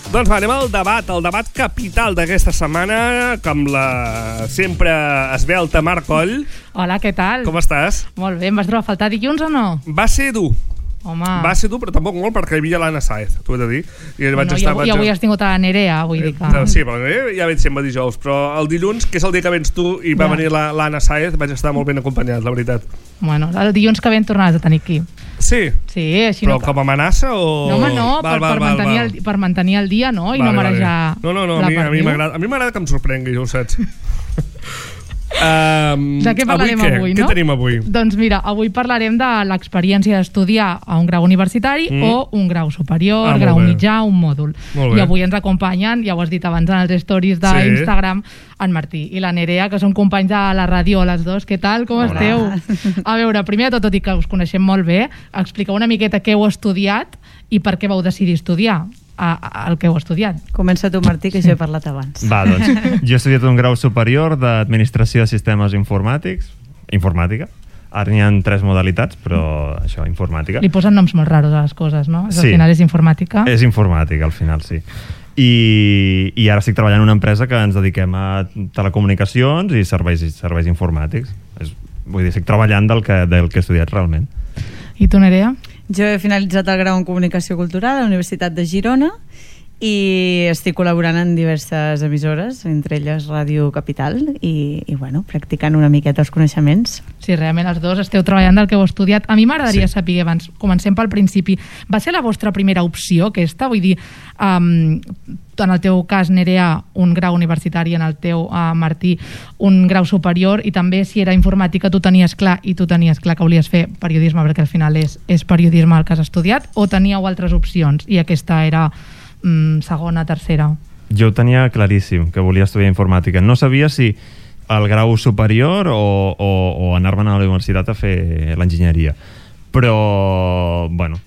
Doncs va, anem al debat capital d'aquesta setmana, amb la sempre esvelta Mar Coll. Hola, què tal? Com estàs? Molt bé, em vas trobar a faltar dilluns o no? Va ser dur. Home. Va ser dur, però tampoc molt, perquè hi havia l'Anna Sáez, t'ho he de dir. I avui has tingut a la Nerea, vull dir que... Sí, però ja veig sempre dijous, però el dilluns, que és el dia que vens tu i va venir l'Anna Sáez, vaig estar molt ben acompanyat, la veritat. Bueno, el dilluns que ven tornaràs a tenir aquí. Sí? Sí, així però com a amenaça o...? No, home, no, per mantenir el dia, no? I no marejar No, a mi m'agrada que em sorprengui, ja ho saps. De què parlarem avui, no? Què tenim avui? Doncs mira, avui parlarem de l'experiència d'estudiar a un grau universitari o un grau superior, grau mitjà, un mòdul. I avui ens acompanyen, ja ho has dit abans en els stories d'Instagram, en Martí i la Nerea, que són companys de la ràdio, les dos. Què tal? Com esteu? A veure, primer de tot i que us coneixem molt bé, expliqueu una miqueta què heu estudiat i per què vau decidir estudiar el que heu estudiat. Comença tu, Martí, que jo he parlat abans. Va, doncs, jo he estudiat un grau superior d'Administració de Sistemes Informàtica. Ara n'hi ha 3 modalitats, però això, informàtica. Li posen noms molt raros a les coses, no? Sí. Al final és informàtica. És informàtica, al final, sí. I ara estic treballant en una empresa que ens dediquem a telecomunicacions i serveis informàtics. Vull dir, estic treballant del que he estudiat realment. I tu, Nerea? Jo he finalitzat el grau en Comunicació Cultural a la Universitat de Girona i estic col·laborant en diverses emissores, entre elles Ràdio Capital, i bueno, practicant una miqueta els coneixements. Sí, realment els dos esteu treballant del que heu estudiat. A mi m'agradaria saber, abans, comencem pel principi, va ser la vostra primera opció aquesta? Vull dir, en el teu cas, Nerea, un grau universitari, en el teu, Martí, un grau superior, i també si era informàtica tu tenies clar que volies fer periodisme, perquè al final és periodisme el que has estudiat, o teníeu altres opcions i aquesta era segona, tercera? Jo ho tenia claríssim, que volia estudiar informàtica. No sabia si el grau superior o anar-me'n a la universitat a fer l'enginyeria. Però, bueno...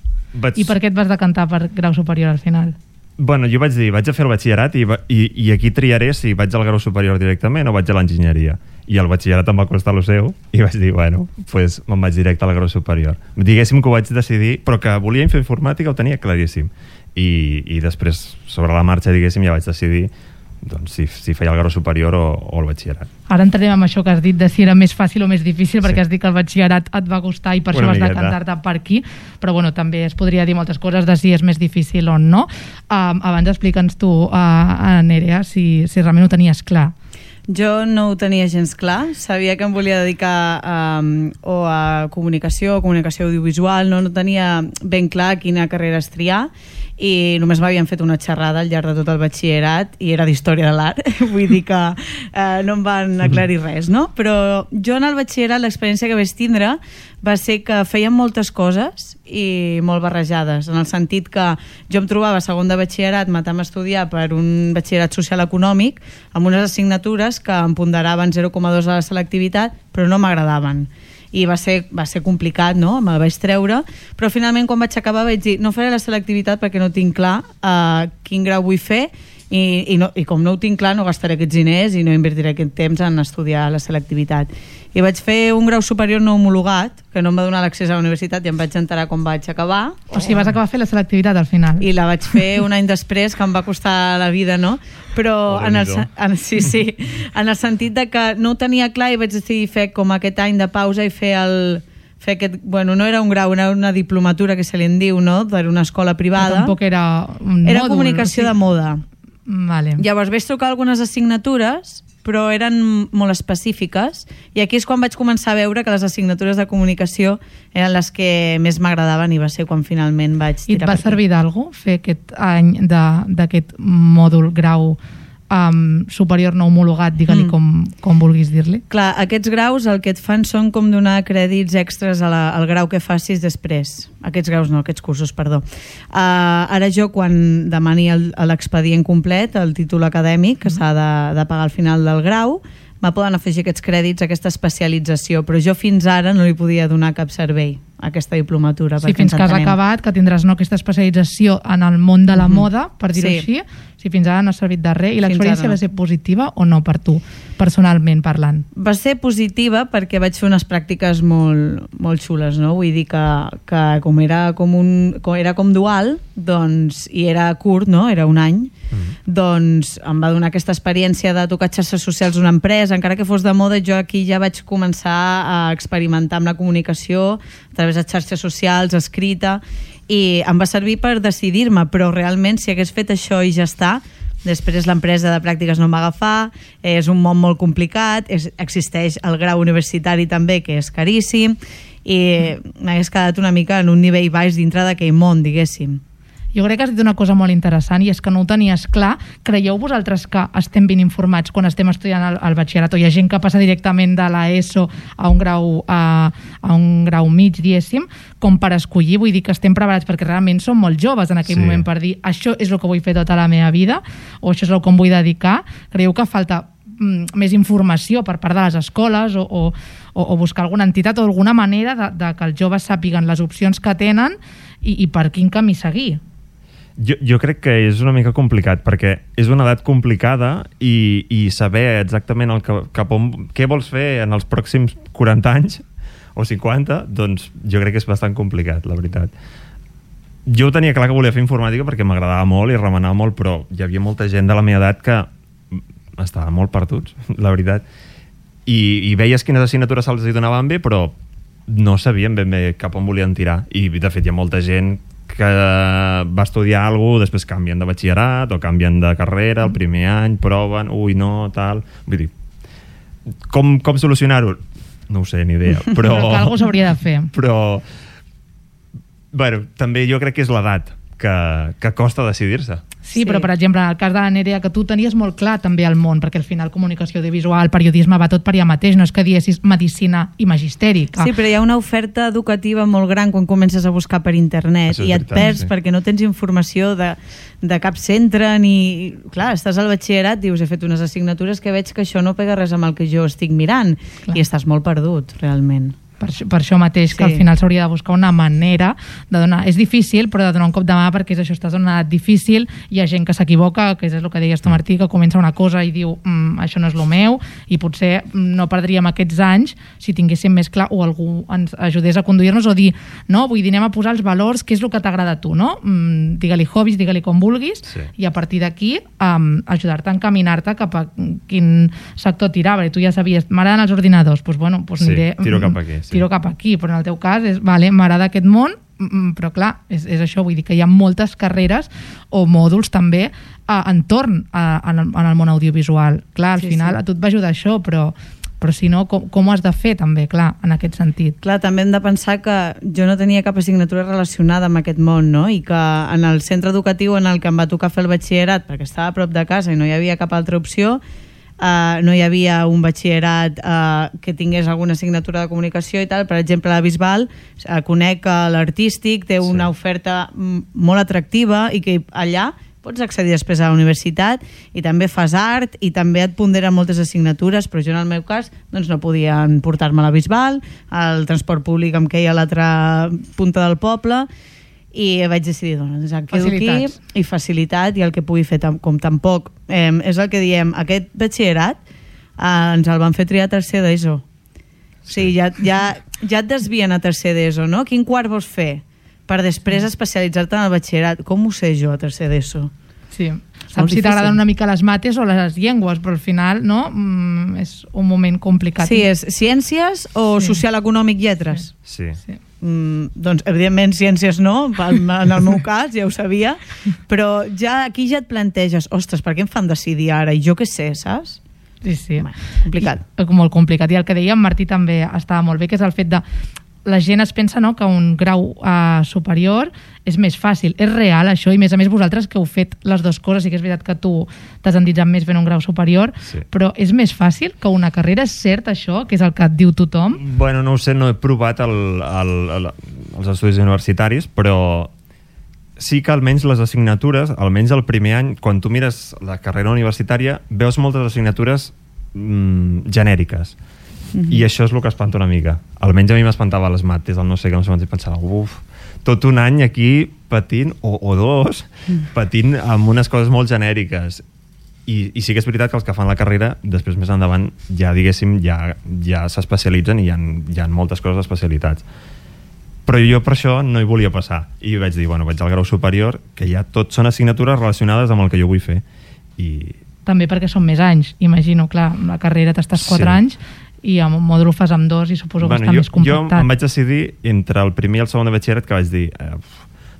I per què et vas decantar per grau superior al final? Bueno, jo vaig dir, vaig a fer el batxillerat i aquí triaré si vaig al grau superior directament o vaig a l'enginyeria. I el batxillerat em va costar el seu i vaig dir, bueno, pues me'n vaig directe al grau superior. Diguéssim que ho vaig decidir, però que volia fer informàtica ho tenia claríssim. I després, sobre la marxa, diguéssim, ja vaig decidir doncs, si feia el grau superior o el batxillerat. Ara entrarem amb això que has dit de si era més fàcil o més difícil, perquè has dit que el batxillerat et va costar i per això vas decantar-te per aquí, però bueno, també es podria dir moltes coses de si és més difícil o no. Abans explica'ns tu, Nerea, si realment ho tenies clar. Jo no ho tenia gens clar, sabia que em volia dedicar o a comunicació audiovisual, no tenia ben clar quina carrera triar, i només m'havien fet una xerrada al llarg de tot el batxillerat i era d'història de l'art, vull dir que no em van aclarir res, no? Però jo en el batxillerat l'experiència que vaig tindre va ser que fèiem moltes coses i molt barrejades, en el sentit que jo em trobava a segon de batxillerat matant a estudiar per un batxillerat social econòmic amb unes assignatures que em ponderaven 0,2 a la selectivitat però no m'agradaven. I va ser complicat, no? Me'l vaig treure, però finalment quan vaig acabar vaig dir no faré la selectivitat perquè no tinc clar quin grau vull fer i com no ho tinc clar no gastaré aquests diners i no invertiré aquest temps en estudiar la selectivitat. I vaig fer un grau superior no homologat, que no em va donar l'accés a la universitat i em vaig enterar quan vaig acabar. O sigui, vas acabar fent la selectivitat al final. I la vaig fer un any després, que em va costar la vida, no? Però en el sentit de que no ho tenia clar i vaig decidir fer com aquest any de pausa i fer aquest, bueno, no era un grau, era una diplomatura que se li en diu, no? Per una escola privada. Però tampoc era un mòdul. Era comunicació de moda. Vale. Llavors vaig trucar algunes assignatures, però eren molt específiques, i aquí és quan vaig començar a veure que les assignatures de comunicació eren les que més m'agradaven i va ser quan finalment vaig tirar per aquí. I et va servir d'algú fer aquest any d'aquest mòdul grau superior no homologat, digue-li com vulguis dir-li? Clar, aquests graus el que et fan són com donar crèdits extras al grau que facis després. Aquests cursos, perdó. Ara jo, quan demani l'expedient complet, el títol acadèmic, que s'ha de pagar al final del grau, me poden afegir aquests crèdits, aquesta especialització, però jo fins ara no li podia donar cap servei a aquesta diplomatura. Si fins que has acabat, que tindràs aquesta especialització en el món de la moda, per dir-ho així, si fins ara no ha servit de res, i l'experiència va ser positiva o no per tu, personalment parlant? Va ser positiva perquè vaig fer unes pràctiques molt xules, no? Vull dir que com era com dual, doncs, i era curt, no? Era un any, doncs em va donar aquesta experiència de tocar xarxes socials d'una empresa, encara que fos de moda, jo aquí ja vaig començar a experimentar amb la comunicació a través de xarxes socials, escrita, i em va servir per decidir-me, però realment si hagués fet això i ja està, després l'empresa de pràctiques no em va agafar, és un món molt complicat, existeix el grau universitari també, que és caríssim, i m'hagués quedat una mica en un nivell baix dintre d'aquell món, diguéssim. Jo crec que has dit una cosa molt interessant, i és que no ho tenies clar. Creieu vosaltres que estem ben informats quan estem estudiant el batxillerat, o hi ha gent que passa directament de l'ESO a un grau mig, diguéssim, com per escollir? Vull dir que estem preparats perquè realment som molt joves en aquell moment per dir això és el que vull fer tota la meva vida, o això és el que em vull dedicar. Creieu que falta més informació per part de les escoles o buscar alguna entitat o alguna manera de que els joves sàpiguen les opcions que tenen i per quin camí seguir? Jo crec que és una mica complicat, perquè és una edat complicada i saber exactament què vols fer en els pròxims 40 anys o 50, doncs jo crec que és bastant complicat, la veritat. Jo tenia clar que volia fer informàtica perquè m'agradava molt i remenava molt, però hi havia molta gent de la meva edat que estava molt perduts, la veritat. I veies quines assignatures se'ls donaven bé, però no sabien ben bé cap on volien tirar. I de fet hi ha molta gent que va estudiar alguna cosa, després canvien de batxillerat o canvien de carrera el primer any, proven, no, tal... Vull dir, com solucionar-ho? No ho sé, ni idea, però... Però que alguna cosa s'hauria de fer. Però, bueno, també jo crec que és l'edat que costa decidir-se. Sí, però per exemple, en el cas de la Nerea, que tu tenies molt clar també el món, perquè al final comunicació audiovisual, periodisme, va tot per allà mateix, no és que diessis medicina i magisteri. Sí, però hi ha una oferta educativa molt gran quan comences a buscar per internet i et perds perquè no tens informació de cap centre ni... Clar, estàs al batxillerat, dius, he fet unes assignatures que veig que això no pega res amb el que jo estic mirant. Clar. I estàs molt perdut, realment. Per això mateix, que al final s'hauria de buscar una manera de donar... És difícil, però de donar un cop de mà, perquè és això, estàs en una edat difícil, hi ha gent que s'equivoca, que és el que deies tu, Martí, que comença una cosa i diu això no és el meu, i potser no perdríem aquests anys si tinguéssim més clar, o algú ens ajudés a conduir-nos, o dir, no, vull dir, anem a posar els valors, què és el que t'agrada a tu, no? Digue-li hobbies, digue-li com vulguis, i a partir d'aquí ajudar-te a encaminar-te cap a quin sector tirar, perquè tu ja sabies, m'agraden els ordinadors, doncs bueno, aniré... Tiro cap aquí, però en el teu cas és, m'agrada aquest món, però clar, és això, vull dir que hi ha moltes carreres o mòduls també entorn en el món audiovisual. Clar, al final a tu et va ajudar això, però si no, com ho has de fer també, clar, en aquest sentit? Clar, també hem de pensar que jo no tenia cap assignatura relacionada amb aquest món, no? I que en el centre educatiu en el que em va tocar fer el batxillerat, perquè estava a prop de casa i no hi havia cap altra opció, no hi havia un batxillerat que tingués alguna assignatura de comunicació i tal. Per exemple, a la Bisbal conec que l'artístic té una oferta molt atractiva i que allà pots accedir després a la universitat i també fas art i també et ponderen moltes assignatures, però jo en el meu cas doncs no podien portar-me a la Bisbal, el transport públic em queia a l'altra punta del poble i vaig decidir, doncs, em quedo aquí i facilitat, i el que pugui fer com tampoc, és el que diem, aquest batxillerat ens el van fer triar a tercer d'ESO. O sigui, ja et desvien a tercer d'ESO, no? Quin quart vols fer? Per després especialitzar-te en el batxillerat. Com ho sé jo a tercer d'ESO? Sí, saps si t'agraden una mica les mates o les llengües, però al final no, és un moment complicat. Sí, és ciències o social, econòmic, lletres? Sí. Doncs evidentment ciències no, en el meu cas ja ho sabia, però aquí ja et planteges, ostres, per què em fan decidir ara? I jo què sé, saps? Sí. Complicat. Molt complicat. I el que deia en Martí també estava molt bé, que és el fet de la gent es pensa, no, que un grau superior és més fàcil. És real això, i a més vosaltres que heu fet les dues coses, i que és veritat que tu t'has endinsat més fent un grau superior, però és més fàcil que una carrera? És cert això, que és el que et diu tothom? Bueno, no ho sé, no he provat els estudis universitaris, però sí que almenys les assignatures, almenys el primer any, quan tu mires la carrera universitària, veus moltes assignatures genèriques. I això és el que espanta una mica. Almenys a mi m'espantava les mates, el no sé què, i pensava, tot un any aquí patint, o dos, patint amb unes coses molt genèriques. I sí que és veritat que els que fan la carrera, després més endavant, ja diguéssim, ja s'especialitzen i hi ha moltes coses d'especialitats. Però jo per això no hi volia passar. I vaig dir, vaig al grau superior, que ja tot són assignatures relacionades amb el que jo vull fer. També perquè són més anys, imagino, clar, la carrera t'estàs 4 anys i amb un mòdul fas amb 2 i suposo que està més compactat. Jo em vaig decidir entre el primer i el segon de batxillerat, que vaig dir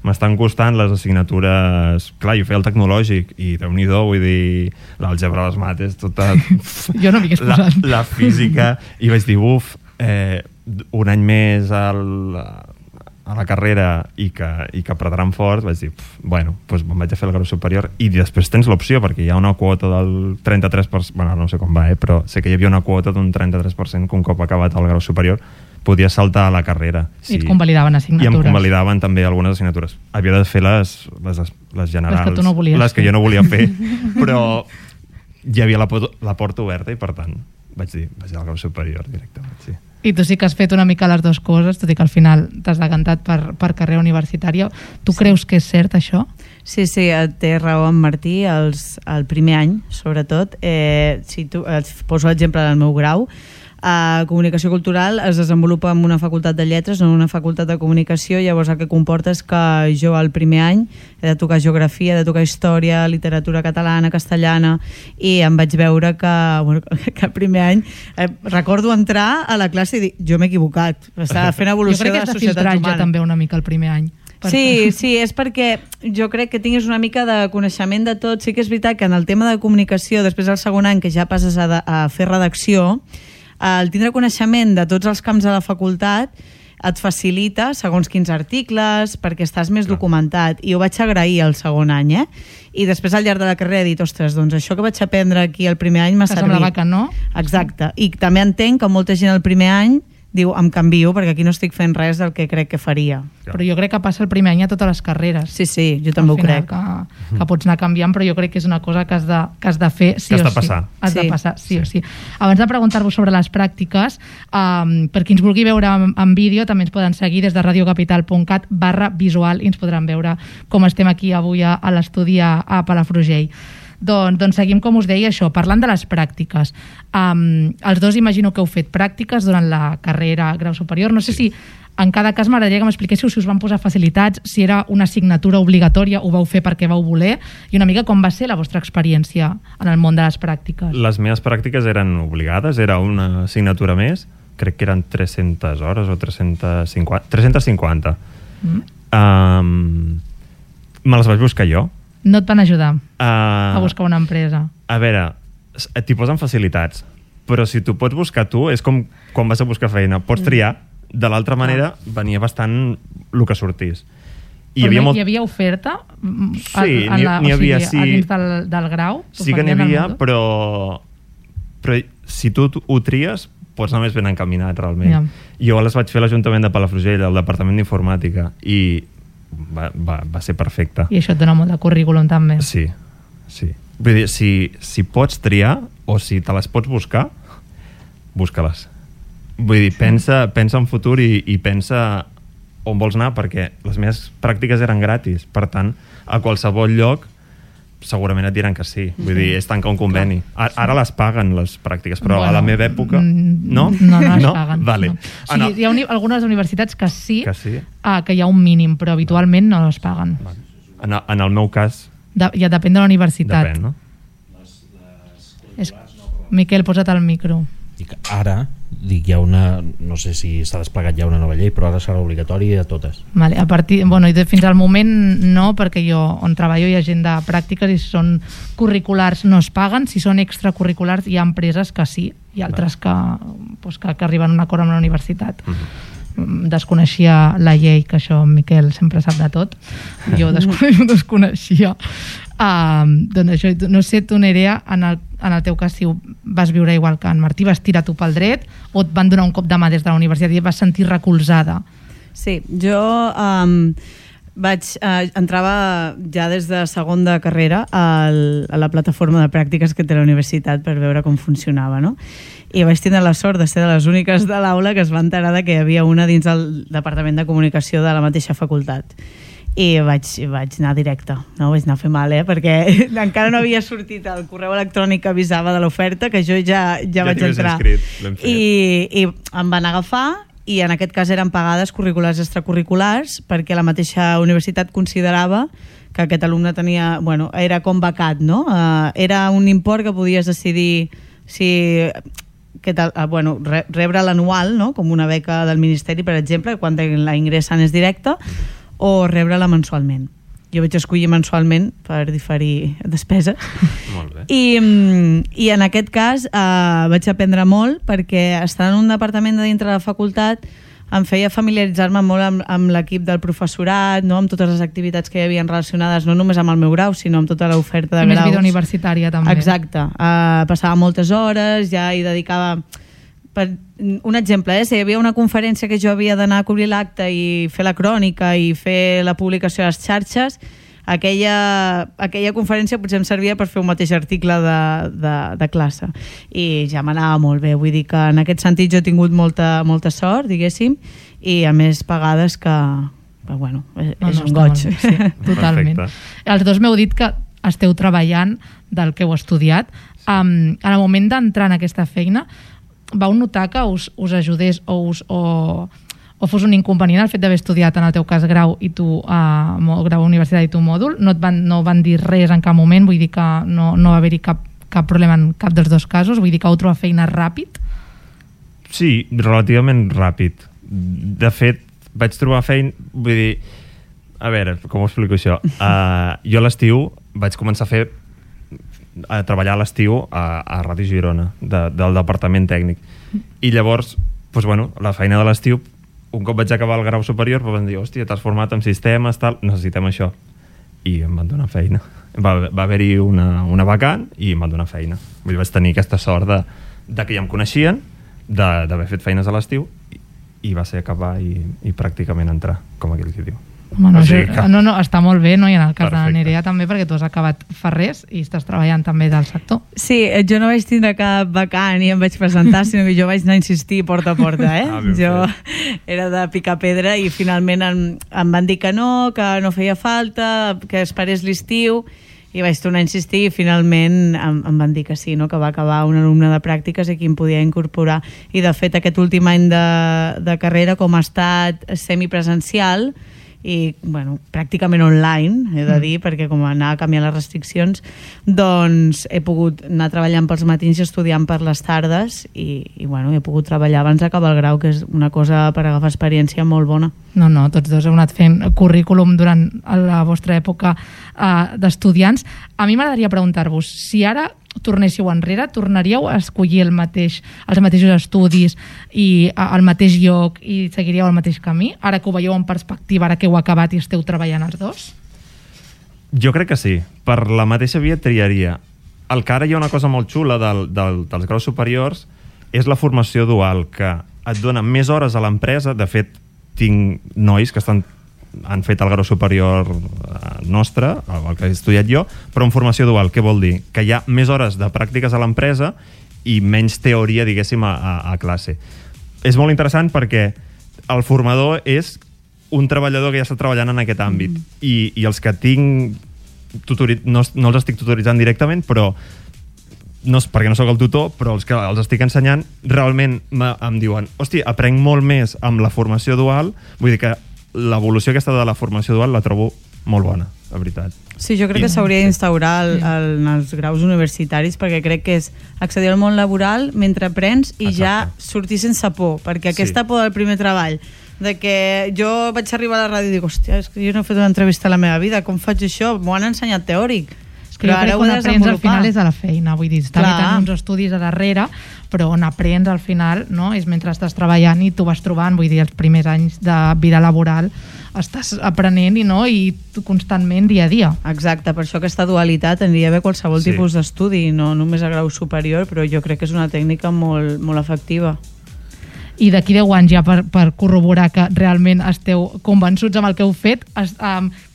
m'estan costant les assignatures, clar, jo feia el tecnològic i Déu-n'hi-do, vull dir l'àlgebra, les mates, tota jo no m'hi hagués posat la física, i vaig dir un any més a la carrera i que apretaran fort, vaig dir, doncs me'n vaig a fer el grau superior. I després tens l'opció, perquè hi ha una quota del 33%, no sé com va, però sé que hi havia una quota d'un 33% que un cop acabat el grau superior podies saltar a la carrera. I et convalidaven assignatures. I em convalidaven també algunes assignatures. Havia de fer les generals, les que tu no volies les que jo no volia fer, però hi havia la porta oberta i per tant vaig dir, vaig al grau superior directament, sí. I tu sí que has fet una mica les dues coses, tot i que al final t'has decantat per carrera universitària. Tu creus que és cert, això? Sí, té raó en Martí, el primer any, sobretot. Si tu, poso l'exemple del meu grau, comunicació cultural es desenvolupa en una facultat de lletres, no en una facultat de comunicació. Llavors el que comporta és que jo el primer any he de tocar geografia, he de tocar història, literatura catalana, castellana, i em vaig veure que el primer any recordo entrar a la classe i dir, jo m'he equivocat, estava fent evolució de Jo crec la que has de societat humana. també una mica el primer any. Sí, és perquè jo crec que tinguis una mica de coneixement de tot. Sí que és veritat que en el tema de comunicació, després del segon any que ja passes a fer redacció, el tindre coneixement de tots els camps de la facultat et facilita segons quins articles, perquè estàs més documentat, i ho vaig agrair el segon any, i després al llarg de la carrera he dit, ostres, doncs això que vaig aprendre aquí el primer any m'ha servit. Que semblava que no. Exacte, i també entenc que molta gent el primer any diu, em canvio perquè aquí no estic fent res del que crec que faria. Però jo crec que passa el primer any a totes les carreres. Sí, jo també ho crec. Que pots anar canviant, però jo crec que és una cosa que has de fer sí o sí. Has de passar, sí o sí. Abans de preguntar-vos sobre les pràctiques, per qui ens vulgui veure en vídeo, també ens poden seguir des de radiocapital.cat/visual i ens podran veure com estem aquí avui a l'estudi a Palafrugell. Doncs seguim, com us deia, això, parlant de les pràctiques. Els dos imagino que heu fet pràctiques durant la carrera grau superior. No sé si en cada cas m'agradaria que m'expliquéssiu si us van posar facilitats, si era una assignatura obligatòria, ho vau fer perquè vau voler, i una mica com va ser la vostra experiència en el món de les pràctiques. Les meves pràctiques eren obligades, era una assignatura més, crec que eren 300 hores o 350. Me les vaig buscar jo. No et van ajudar a buscar una empresa? A veure, t'hi posen facilitats, però si t'ho pots buscar tu, és com quan vas a buscar feina. Pots triar, de l'altra manera venia bastant el que sortís. Hi havia oferta? Sí, n'hi havia, sí. A dins del grau? Sí que n'hi havia, però si tu ho tries, pots anar més ben encaminat, realment. Jo les vaig fer a l'Ajuntament de Palafrugell, al Departament d'Informàtica, i va ser perfecte. I això et dona molt de currículum també. Sí. Vull dir, si pots triar o si te les pots buscar, busca-les. Vull dir, pensa en futur i pensa on vols anar, perquè les meves pràctiques eren gratis, per tant, a qualsevol lloc segurament et diran que sí. Vull dir, és tancar un conveni. Ara les paguen, les pràctiques, però a la meva època... No? No les paguen. Vale. O sigui, hi ha algunes universitats que sí, que hi ha un mínim, però habitualment no les paguen. En el meu cas... Ja depèn de la universitat. Depèn, no? Miquel, posa't al micro. Ara, dic, hi ha una... No sé si s'ha desplegat ja una nova llei, però ara serà obligatori a totes. Vale, fins al moment no, perquè jo on treballo hi ha gent de pràctiques i si són curriculars no es paguen, si són extracurriculars hi ha empreses que sí, i altres que arriben a un acord amb la universitat. Desconeixia la llei, que això Miquel sempre sap de tot, jo desconeixia. Doncs això, no sé, tu Nerea, en el teu cas, si vas viure igual que en Martí, vas tirar tu pel dret o et van donar un cop de mà des de la universitat i et vas sentir recolzada? Sí, jo entrava ja des de segon de carrera a la plataforma de pràctiques que té la universitat per veure com funcionava, no? I vaig tindre la sort de ser de les úniques de l'aula que es va enterar que hi havia una dins del Departament de Comunicació de la mateixa facultat. I vaig anar directe, no? Vaig anar a fer mal, perquè encara no havia sortit el correu electrònic que avisava de l'oferta, que jo ja vaig entrar. I em van agafar, i en aquest cas eren pagades curriculars i extracurriculars, perquè la mateixa universitat considerava que aquest alumne tenia... Bueno, era com becat, no? Era un import que podies decidir si... rebre l'anual, no? Com una beca del Ministeri, per exemple, quan la ingressen és directa, o rebre-la mensualment. Jo vaig escollir mensualment per diferir despeses. Molt bé. I en aquest cas vaig aprendre molt, perquè estar en un departament de dintre de la facultat em feia familiaritzar-me molt amb l'equip del professorat, no? Amb totes les activitats que hi havia relacionades no només amb el meu grau, sinó amb tota l'oferta de graus. Més vida universitària, també. Exacte. Passava moltes hores, ja hi dedicava... Per un exemple, si hi havia una conferència que jo havia d'anar a cobrir l'acte i fer la crònica i fer la publicació a les xarxes, aquella conferència potser em servia per fer un mateix article de classe, i ja m'anava molt bé. Vull dir que en aquest sentit jo he tingut molta sort, diguéssim, i a més pagades que bueno, és un goig. Sí, totalment. Perfecte. Els dos m'heu dit que esteu treballant del que heu estudiat. En el moment d'entrar en aquesta feina, vau notar que us ajudés o fos un inconvenient el fet d'haver estudiat, en el teu cas, grau i tu grau universitari i tu mòdul? No van dir res en cap moment? Vull dir que no va haver-hi cap problema en cap dels dos casos? Vull dir que vau trobar feina ràpid? Sí, relativament ràpid. De fet, vaig trobar feina... Vull dir, a veure, com ho explico això? Jo a l'estiu vaig començar a treballar a l'estiu a Ràdio Girona, del departament tècnic. I llavors, doncs, bueno, la feina de l'estiu, un cop vaig acabar el grau superior, van dir, hòstia, t'has format en sistemes, tal, necessitem això. I em van donar feina. Va haver-hi una vacant i em van donar feina. Vull dir, vaig tenir aquesta sort de que ja em coneixien, d'haver fet feines a l'estiu, i va ser acabar i pràcticament entrar, com aquell que diu. Home, no, està molt bé, no? I en el cas de la Nerea també, perquè tu has acabat fa res i estàs treballant també del sector. Sí, jo no vaig tindre cap vacant i em vaig presentar, sinó que jo vaig anar a insistir porta a porta, jo era de picar pedra i finalment em van dir que no feia falta, que esperés l'estiu, i vaig tornar a insistir i finalment em van dir que sí, no? Que va acabar un alumne de pràctiques i qui em podia incorporar. I de fet aquest últim any de carrera, com ha estat semipresencial i bueno, pràcticament online, he de dir, perquè com anava canviant les restriccions, doncs he pogut anar treballant pels matins i estudiant per les tardes i bueno, he pogut treballar abans d'acabar el grau, que és una cosa per agafar experiència molt bona. No, tots dos heu anat fent currículum durant la vostra època d'estudiants. A mi m'agradaria preguntar-vos, si ara tornéssiu enrere, tornaríeu a escollir els mateixos estudis i al mateix lloc i seguiríeu el mateix camí? Ara que ho veieu en perspectiva, ara que heu acabat i esteu treballant els dos? Jo crec que sí. Per la mateixa via triaria. El que ara hi ha una cosa molt xula dels graus superiors és la formació dual, que et dona més hores a l'empresa. De fet, tinc nois que han fet el grau superior nostre, el que he estudiat jo, però en formació dual. Què vol dir? Que hi ha més hores de pràctiques a l'empresa i menys teoria, diguéssim, a classe. És molt interessant perquè el formador és un treballador que ja està treballant en aquest àmbit i els que tinc no els estic tutoritzant directament, però perquè no sóc el tutor, però els que els estic ensenyant realment em diuen, hòstia, aprenc molt més amb la formació dual. Vull dir que l'evolució aquesta de la formació dual la trobo molt bona, la veritat. Sí, jo crec que s'hauria d'instaurar en els graus universitaris, perquè crec que és accedir al món laboral mentre aprens i ja sortir sense por, perquè aquesta por del primer treball, de que jo vaig arribar a la ràdio i dic, hòstia, és que jo no he fet una entrevista a la meva vida, com faig això? M'ho han ensenyat teòric. Però jo crec que on aprens al final és a la feina, vull dir, està tenint uns estudis a darrere, però on aprens al final, no? És mentre estàs treballant i tu vas trobant, vull dir, els primers anys de vida laboral estàs aprenent i constantment dia a dia. Exacte, per això aquesta dualitat aniria bé qualsevol tipus d'estudi, no només a grau superior, però jo crec que és una tècnica molt, molt efectiva. i d'aquí 10 anys ja per corroborar que realment esteu convençuts amb el que heu fet,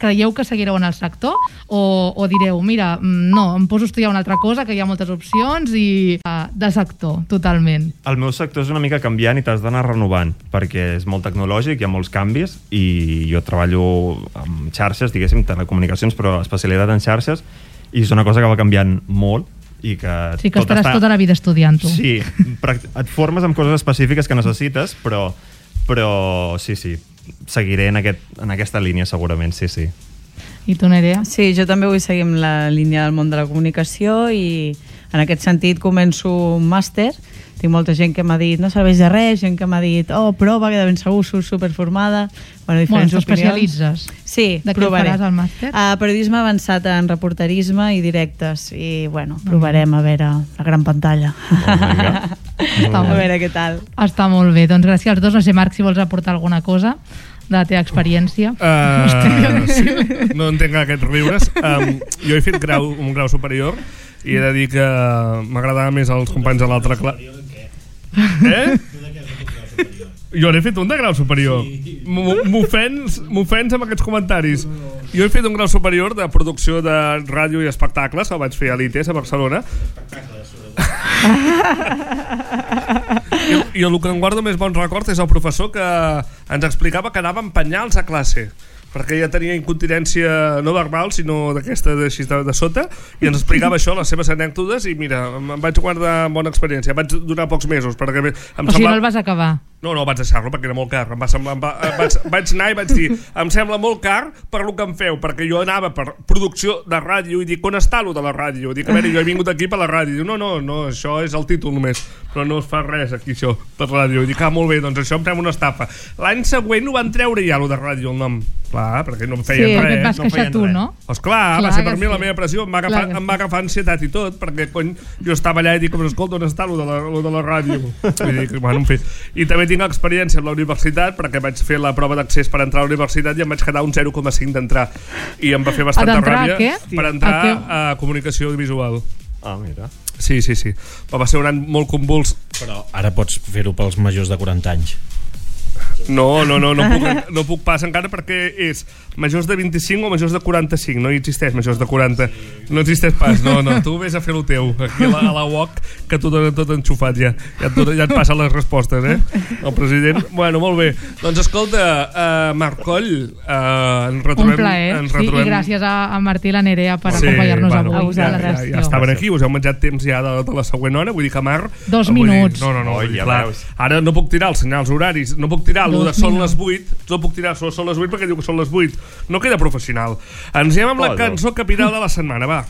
creieu que seguireu en el sector o direu, mira, no, em poso a estudiar una altra cosa, que hi ha moltes opcions i de sector, totalment? El meu sector és una mica canviant i t'has d'anar renovant, perquè és molt tecnològic, hi ha molts canvis, i jo treballo amb xarxes, diguéssim, telecomunicacions, però especialitat en xarxes, i és una cosa que va canviant molt, i que sí, que estaràs tota la vida estudiant-ho. Sí, et formes amb coses específiques que necessites, però sí, seguiré en aquesta línia segurament, sí. I tu, Nerea? Sí, jo també vull seguir amb la línia del món de la comunicació i en aquest sentit començo un màster. Tinc molta gent que m'ha dit no serveix de res, gent que m'ha dit prova, que de ben segur surts superformada. Diferents opinions. T'especialitzes? Sí, de provaré. De què faràs al màster? Periodisme avançat en reporterisme i directes i provarem a veure la gran pantalla. A veure què tal. Està molt bé, doncs gràcies als dos. No sé, Marc, si vols aportar alguna cosa de la teva experiència. Sí, no entenc aquests riures. Jo he fet un grau superior i he de dir que m'agradava més els companys de l'altra classe. Jo n'he fet un de grau superior. M'ofens amb aquests comentaris. Jo he fet un grau superior de producció de ràdio i espectacles, el vaig fer a l'ITES a Barcelona. I el que em guardo més bon record és el professor que ens explicava que anava amb penyals a classe, perquè ja tenia incontinència no verbal, sinó d'aquesta de sota, i ens explicava això, les seves anècdotes, i mira, em vaig guardar bona experiència. Vaig durar pocs mesos, perquè em sigui, no el vas acabar? No, vaig deixar-lo perquè era molt car. Vaig anar i vaig dir, em sembla molt car per lo que em feu, perquè jo anava per producció de ràdio i dic, on està lo de la ràdio? Dic, a veure, jo he vingut aquí per la ràdio. No, això és el títol només, però no es fa res aquí això, per ràdio. I dic, molt bé, doncs això em sembla una estafa. L'any següent ho van treure ja, lo de ràdio, el nom. Clar, perquè no em feien res. Sí, perquè et vas queixar tu, no? Esclar, va ser per mi la meva pressió, em va agafar ansietat i tot, perquè jo estava allà i dic, escolta, on està lo de la ràdio? I dic, bueno, en fi. I també tinc experiència amb la universitat, perquè vaig fer la prova d'accés per entrar a la universitat i em vaig quedar un 0,5 d'entrar. I em va fer bastanta ràbia per entrar a comunicació audiovisual. Mira. Sí. Va ser un any molt convuls. Però ara pots fer-ho pels majors de 40 anys. No puc pas encara perquè és majors de 25 o majors de 45. No hi existeix majors de 40. No existeix pas, no. Tu vés a fer el teu aquí a la UOC, que t'ho donen tot enxufat ja et passen les respostes, el president. Bueno, molt bé. Doncs escolta, Marc Coll, ens retrobem. Un plaer, i gràcies a Martí i la Nerea per acompanyar-nos avui a la redacció. Ja estaven aquí, us heu menjat temps ja de la següent hora, vull dir que Marc 2 minuts. No, clar. Ara no puc tirar els senyals horaris, no puc tirar el de són les 8, no puc tirar són les 8 perquè diu que són les 8. No queda professional. Ens anem amb la cançó capital de la setmana, va.